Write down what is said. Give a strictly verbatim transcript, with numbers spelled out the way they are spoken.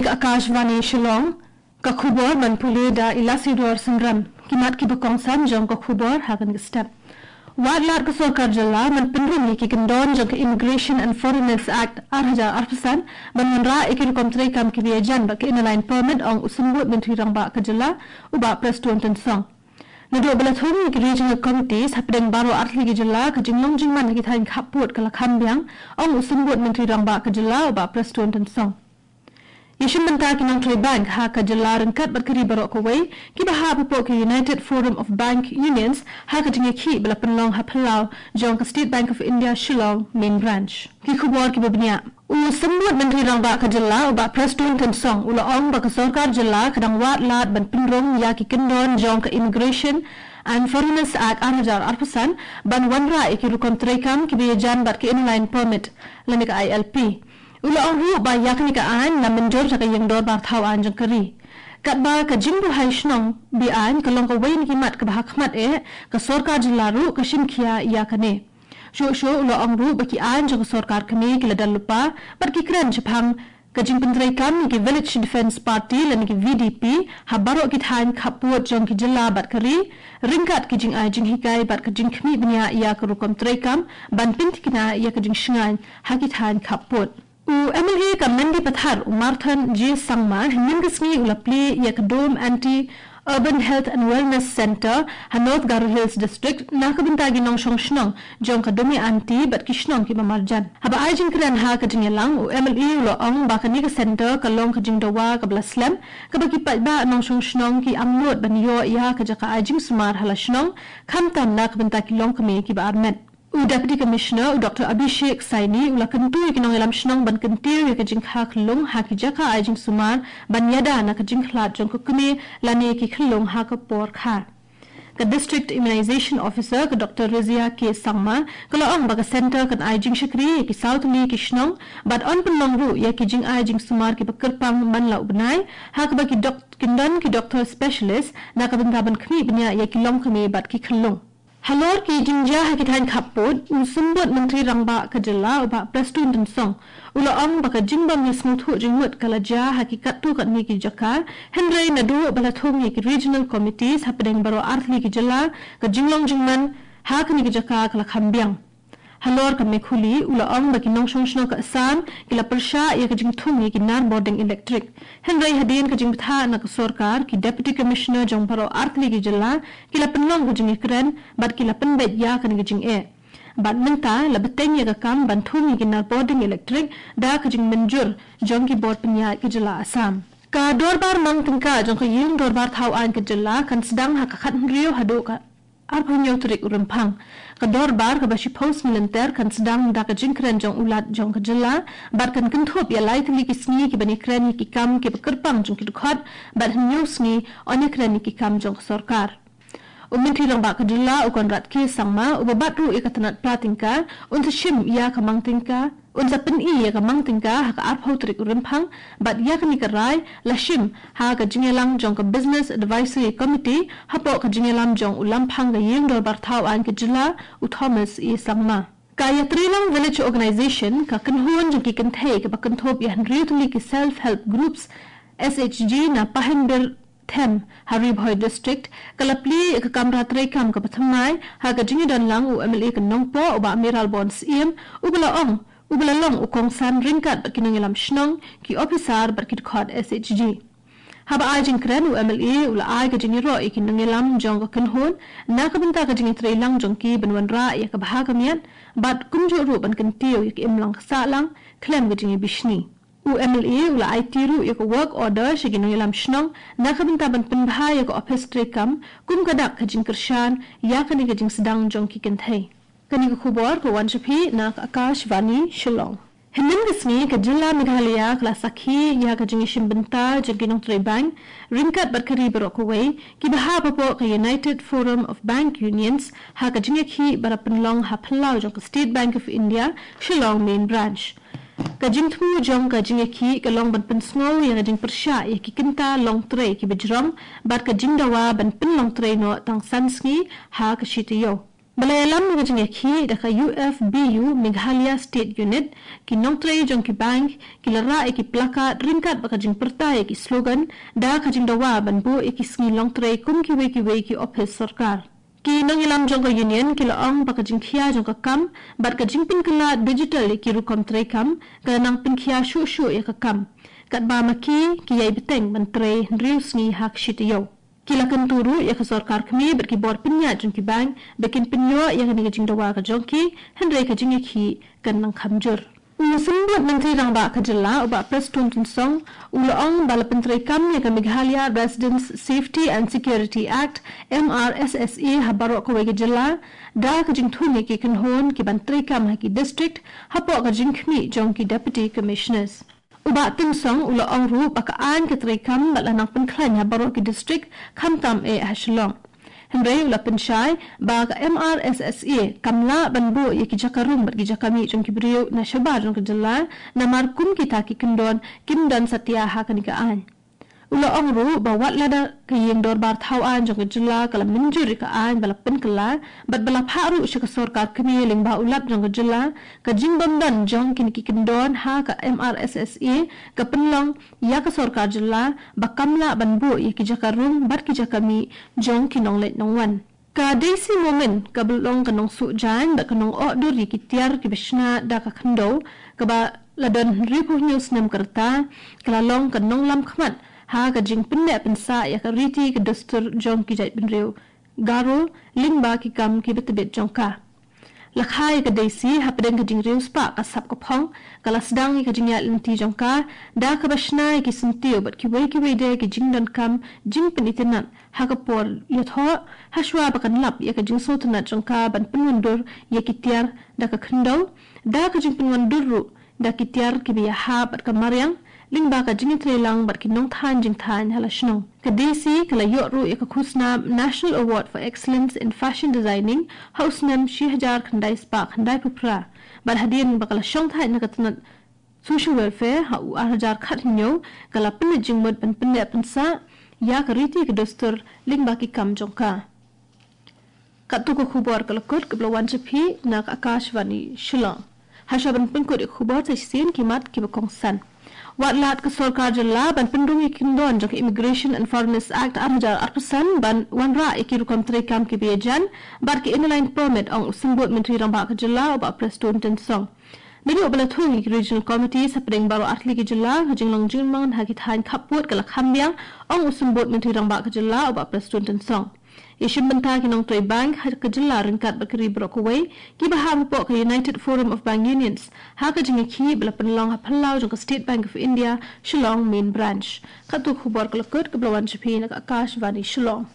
Ka Akashvani Shillong, ka khubor ban pule da Ilasidor Synrem. Ki mat kiba kongsan jong ka khubor ha kane ka step. Wad lad ka sorkar jylla ban pynrung ïa ki kyndon jong ka Immigration and Foreigners Act ar hajar arphew san ban wanrah ïa ki rukom treikam kiba ïajan bad ka Inner Line Permit, ong u Symbud Myntri Rangbah ka jylla, u Bah Prestone Tynsong. Naduh ba la thung ïa ki Regional Committees hapdeng baroh artylli ki jylla, ka jinglong jingman ha ki thaiñ khappud ka la kham biang, ong u Symbud Myntri Rangbah ka jylla, u Bah Prestone Tynsong. Ïashim bynta ki nongtrei bank ha ka jylla ryngkat bad ka ri baroh kawei, kiba hap hapoh ka United Forum of Bank Unions, ha ka jingïakhih ba la pynlong ha phyllaw jong ka State Bank of India Shillong Main Branch. Ki khubor kiba bniah. U Symbud Myntri Rangbah ka jylla, u Bah Prestone Tynsong, u la ong ba ka sorkar jylla ka dang wad lad ban pynrung ïa ki kyndon jong ka Immigration and Foreigners Act ar hajar arphew san ban wanrah ïa ki rukom treikam kiba ïajan bad ka Inner Line Permit lane ka I L P. U la ong ruh ba ïa kane ka aiñ la mynjur da ka Ïing Dorbar Thaw Aiñ jong ka ri. Katba ka jingbuhai shnong be-aiñ ka long kawei na ki mat kaba ha khmat eh, ka sorkar jylla ruh ka shim khia ïa kane. Shuh shuh u la ong ruh ba ki aiñ jong ka sorkar kmie ki la don lypa bad ki kren shaphang ka jingpyntreikam ïa ki Village Defence Party lane ki V D P ha baroh ki thaiñ khappud jong ki jylla bad ka ri, ryngkat ki jingai jinghikai bad ka jingkhmih bniah ïa ka rukom treikam ban pynthikna ïa ka jingshngaiñ ha ki thaiñ khappud. U M L A ka Mendipathar, u Marthon J Sangma, hynnin ka sngi u la plie ïa ka Dome Aunty Urban Health and Wellness Centre ha North Garo Hills District na ka bynta ki nongshong shnong jong ka Dome Aunty bad ki shnong kiba marjan. Haba ai jingkren ha ka jingïalang, u M L A u la ong ba kane ka centre ka long ka jingdawa kaba la slem, kaba ki paidbah nongshong shnong ki angnud ban ïoh ïa ka jaka ai jingsumar ha la shnong, khamtam na ka bynta ki longkmie kiba armet. U Deputy Commissioner, u Doctor Abhishek Saini, u la kyntu ïa ki nongïalam shnong ban kyntiew ïa ka jingkha khyllung ha ki jaka ai jingsumar ban ïada na ka jingkhlad jong ka kmie lane ki khyllung ha ka por kha. Ka District Immunization Officer, ka Doctor Rizia K Sangma, ka la ong ba ka centre kan ai jingshakri ïa ki saw tylli ki shnong bad yn pynlong ruh ïa ki jingai jingsumar kiba kyrpang man la u bnai, ha kaba ki dok-, kin don ki doctor specialist na ka bynta ban khmih bniah ïa ki longkmie bad ki khyllung. Halor ki jingjia ha ki thaiñ khappud, u Symbud Myntri Rangbah ka jylla, u Bah Prestone Tynsong, u la ong ba ka jingbym ïasngewthuh jingmut ka la jia ha ki katto katne ki jaka, hynrei naduh ba la thung ïa ki Regional Committees hapdeng baroh artylli ki jylla, ka jinglong jingman ha kane ka jaka ka la kham biang. Halor ka Mekhuli, u la ong ba ki nongshong shnong ka Assam ki la pyrshah ïa ka jingthung ïa ki nar bording electric. Hynrei hadien ka jingbthah na ka sorkar, ki Deputy Commissioner jong baroh artylli ki jylla ki la pynlong ka jingïakren bad ki la pynbeit ïa kane ka jingeh. Bad mynta la bteng ïa ka kam ban thung ïa ki nar bording electric da ka jingmynjur jong ki bor pynïaid ka jylla Assam. Ka Dorbar Mang Tyngka jong ka Ïing Dorbar Thaw Aiñ ka jylla kan sdang ha ka khathynriew haduh ka arphew hynñiew tarik u Rymphang. Ka dorbar kaba shiphew sngi lynter kan sdang da ka jingkren jong u Lat jong ka jylla bad kan kynthup ïa lai tylli ki sngi kiban ïakren ïa ki kam kiba kyrpang jong ki dkhot bad hynñiew sngi yn ïakren ïa ki kam jong ka sorkar. U Myntri Rangbah ka jylla, u Conrad K Sangma, uba bat ruh ïa ka tnat pla tyngka, un sa shim ïa ka Mang Tyngka, un sa pyni ïa ka Mang Tyngka ha ka arphew tarik u Rymphang, bad ïa kane ka rai la shim ha ka jingïalang jong ka Business Advisory Committee hapoh ka jingïalam jong u Lamphang ka Ïing Dorbar Thaw Aiñ ka jylla, u Thomas E Sangma. Ka Ïatreilang Village Organization, ka kynhun jong ki kynthei kaba kynthup ïa hynriew tylli ki Self Help Groups, S H G, na Pahimbir Them ha Ri Bhoi District, ka la plie ïa ka kamra treikam kaba thymmai ha ka jingïadonlang u M L A ka Nongpoh, u Bah Mayralborn Syiem, uba la ong, uba la long u kongsan ryngkat bad ki nongïalam shnong, ki ophisar bad ki dkhot S H G. Haba ai jingkren, u M L A u la ai ka jingïaroh ïa ki nongïalam jong ka kynhun na ka bynta ka jingïatreilang jong ki ban wanrah ïa ka bha ka miat bad kumjuh ruh ban kyntiew ïa ka imlang ka sahlang khlem ka jingïabishni. U M L A u la aiti ruh ïa ka work order sha ki nongïalam shnong na ka bynta ban pynbha ïa ka ophis treikam kum ka dak ka jingkyrshan ïa kane ka jingsdang jong ki kynthei. Kane ka khubor ka wan sha phi na ka Akashvani Shillong. Hynnin ka sngi ka jylla Meghalaya ka la sakhi ïa ka jingïashim bynta jong ki nongtrei bank ryngkat bad ka ri baroh kawei kiba hap hapoh ka United Forum of Bank Unions ha ka jingïakhih ba la pynlong ha phyllaw jong ka State Bank of India, Shillong Main Branch. Ka jingthmu jong ka jingïakhih ka long ban pynsngew ïa ka jingpyrshah ïa ki kynta longtrei kiba jrong bad ka jingdawa ban pynlongtrei noh tang san sngi ha ka shi taïew. Ba la ïalam ïa ka jingïakhih da ka U F B U Meghalaya State Unit, ki nongtrei jong ki bank ki la rah ïa ki placard ryngkat bad ka jingpyrta ïa ki slogan da ka jingdawa ban buh ïa ki sngi longtrei kum kiwei kiwei ki ophis sorkar. Ki nongïalam jong ka Union ki la ong ba ka jingkhia jong ka kam bad ka jingpynkylla digital ïa ki rukom treikam ka la nang pynkhia shuh shuh ïa ka kam, katba ma ki ki ïai bteng ban trei hynriew sngi ha ka shi taïew. Ki la kyntu ruh ïa ka sorkar kmie bad ki bor pynïaid jong ki bank ba kin pynïoh ïa kane ka jingdawa ka jong ki, hynrei ka jingïakhih kan nang kham jur. U Symbud Myntri Rangbah ka jylla, u Bah Prestone Tynsong, u la ong ba la pyntreikam ïa ka Meghalaya Residents Safety and Security Act, M R S S A, ha baroh kawei ka jylla da ka jingthung ïa ki kynhun ki ban treikam ha ki district hapoh ka jingkhmih jong ki Deputy Commissioners. U Bah Tynsong u la ong ruh ba ka aiñ ka treikam bad la nang pynkhlaiñ ha baroh ki district, khamtam eh ha Shillong. Hynrei u la pynshai ba ka M R S S A kam lah ban buh ïa ki jaka rung bad ki jaka mih jong ki briew na shabar jong ka jylla, namar kum kita ki kyndon kim don satia ha kane ka aiñ. U la ong ruh ba wat lada ka ïing dorbar thaw aiñ jong ka jylla ka la mynjur ïa ka aiñ ba la pynkylla bad ba la phah ruh sha ka sorkar kmie lyngba u Lat jong ka jylla, ka jingbym don jong kine ki kyndon ha ka M R S S A ka pynlong ïa ka sorkar jylla ba kam lah ban buh ïa ki jaka rung bad ki jaka mih jong ki nongleit nongwan. Ka Daisy Momin kaba long ka nongsuh jaiñ bad ka nongoh dur ïa ki tiar kiba shna da ka khyndew, kaba la don hynriewphew hynñiew snem ka rta, ka la long ka nonglam khmat ha ka jingpynneh pynsah ïa ka riti ka dustur jong ki jaitbynriew Garo lyngba ki kam kiba tbit jong ka. La kha ïa ka Daisy hapdeng ka jingriewspah ka sap ka phong, ka la sdang ïa ka jingïaid lynti jong ka da kaba shna ïa ki syntiew bad kiwei kiwei de ki jingdonkam jingpynitynnad ha ka por ïathoh, hashwa ba kan lap ïa ka jingsngewtynnad jong ka ban pynwandur ïa ki tiar da ka khyndew, da ka jingpynwandur ruh da ki tiar kiba ïahap bad ka mariang, lyngba ka jingïatreilang bad ki nongthaiñ jingthaiñ ha la shnong. Ka Daisy ka la ïoh ruh ïa ka khusnam National Award for Excellence in Fashion Designing ha u snem shi hajar khyndai spah khyndaiphew phra. Bad hadien ba ka la shongthait na ka tnat Social Welfare ha u ar hajar khathynñiew, ka la pynleit jingmut ban pynneh pynsah ïa ka riti ka dustur lyngba ki kam jong ka. Katto ka khubor ka la kut kaba la wan sha phi na ka Akashvani Shillong. Hashwa ban pynkut ïa ka khubor, sa shisien ki mat kiba kongsan. Wat lad ka sorkar jylla ban pynrung ïa ki kyndon jong ka Immigration and Foreigners Act ar hajar arphew san ban wanrah ïa ki rukom treikam kiba ïajan bad ki Inner Line Permit, ong u Symbud Myntri Rangbah ka jylla, u Bah Prestone Tynsong. Naduh ba la thung ïa ki Regional Committees hapdeng baroh artylli ki jylla, ka jinglong jingman ha ki thaiñ khappud ka la kham biang, ong u Symbud Myntri Rangbah ka jylla, u Bah Prestone Tynsong. Ïashim bynta ki nongtrei bank ha ka jylla ryngkat bad ka ri baroh kawei kiba hap hapoh ka United Forum of Bank Unions ha ka jingïakhih ba la pynlong ha phyllaw jong ka State Bank of India, Shillong Main Branch. Katto ka khubor ka la kut kaba la wan sha phi na ka Akashvani Shillong.